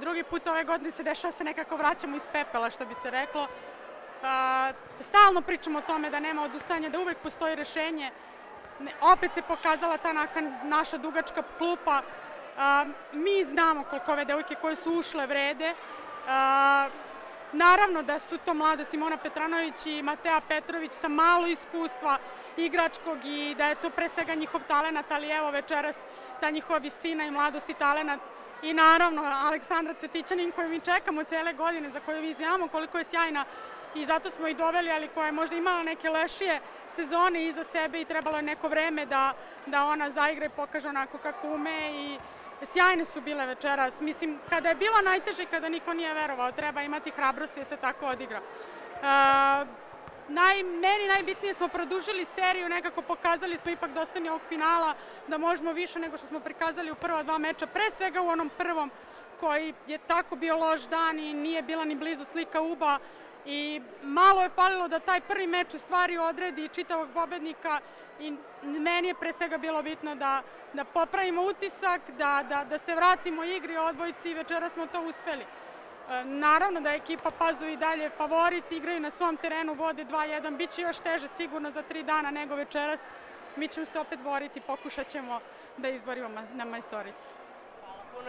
drugi put ove godine se dešava se nekako vraćamo iz pepela, što bi se reklo. Stalno pričamo o tome da nema odustajanja, da uvek postoji rešenje. Opet se pokazala ta naša dugačka klupa. Mi znamo koliko ove devojke koje su ušle vrede. Naravno da su to mlada Simona Petranović i Matea Petrović sa malo iskustva igračkog i da je to pre svega njihov talenat, ali evo večeras ta njihova visina i mladost i talenat. I naravno Aleksandra Cvetićanin koju mi čekamo cele godine, za koju mi znamo koliko je sjajna i zato smo i doveli, ali koja je možda imala neke lošije sezone iza sebe i trebalo je neko vreme da ona zaigra i pokaže onako kako ume i sjajne su bile večeras. Mislim, kada je bilo najteže i kada niko nije verovao, treba imati hrabrosti da se tako odigra. Meni najbitnije smo produžili seriju, nekako pokazali smo ipak dostojni ovog finala, da možemo više nego što smo prikazali u prva dva meča, pre svega u onom prvom koji je tako bio loš dan i nije bila ni blizu slika UBA i malo je falilo da taj prvi meč u stvari odredi čitavog pobednika i meni je pre svega bilo bitno da popravimo utisak, da se vratimo igri odbojci i večera smo to uspeli. Naravno da je ekipa Pazovi dalje favorit, igraju na svom terenu, vode 2-1, bit će još teže sigurno za 3 dana nego večeras. Mi ćemo se opet boriti, pokušat ćemo da izborimo na majstoricu.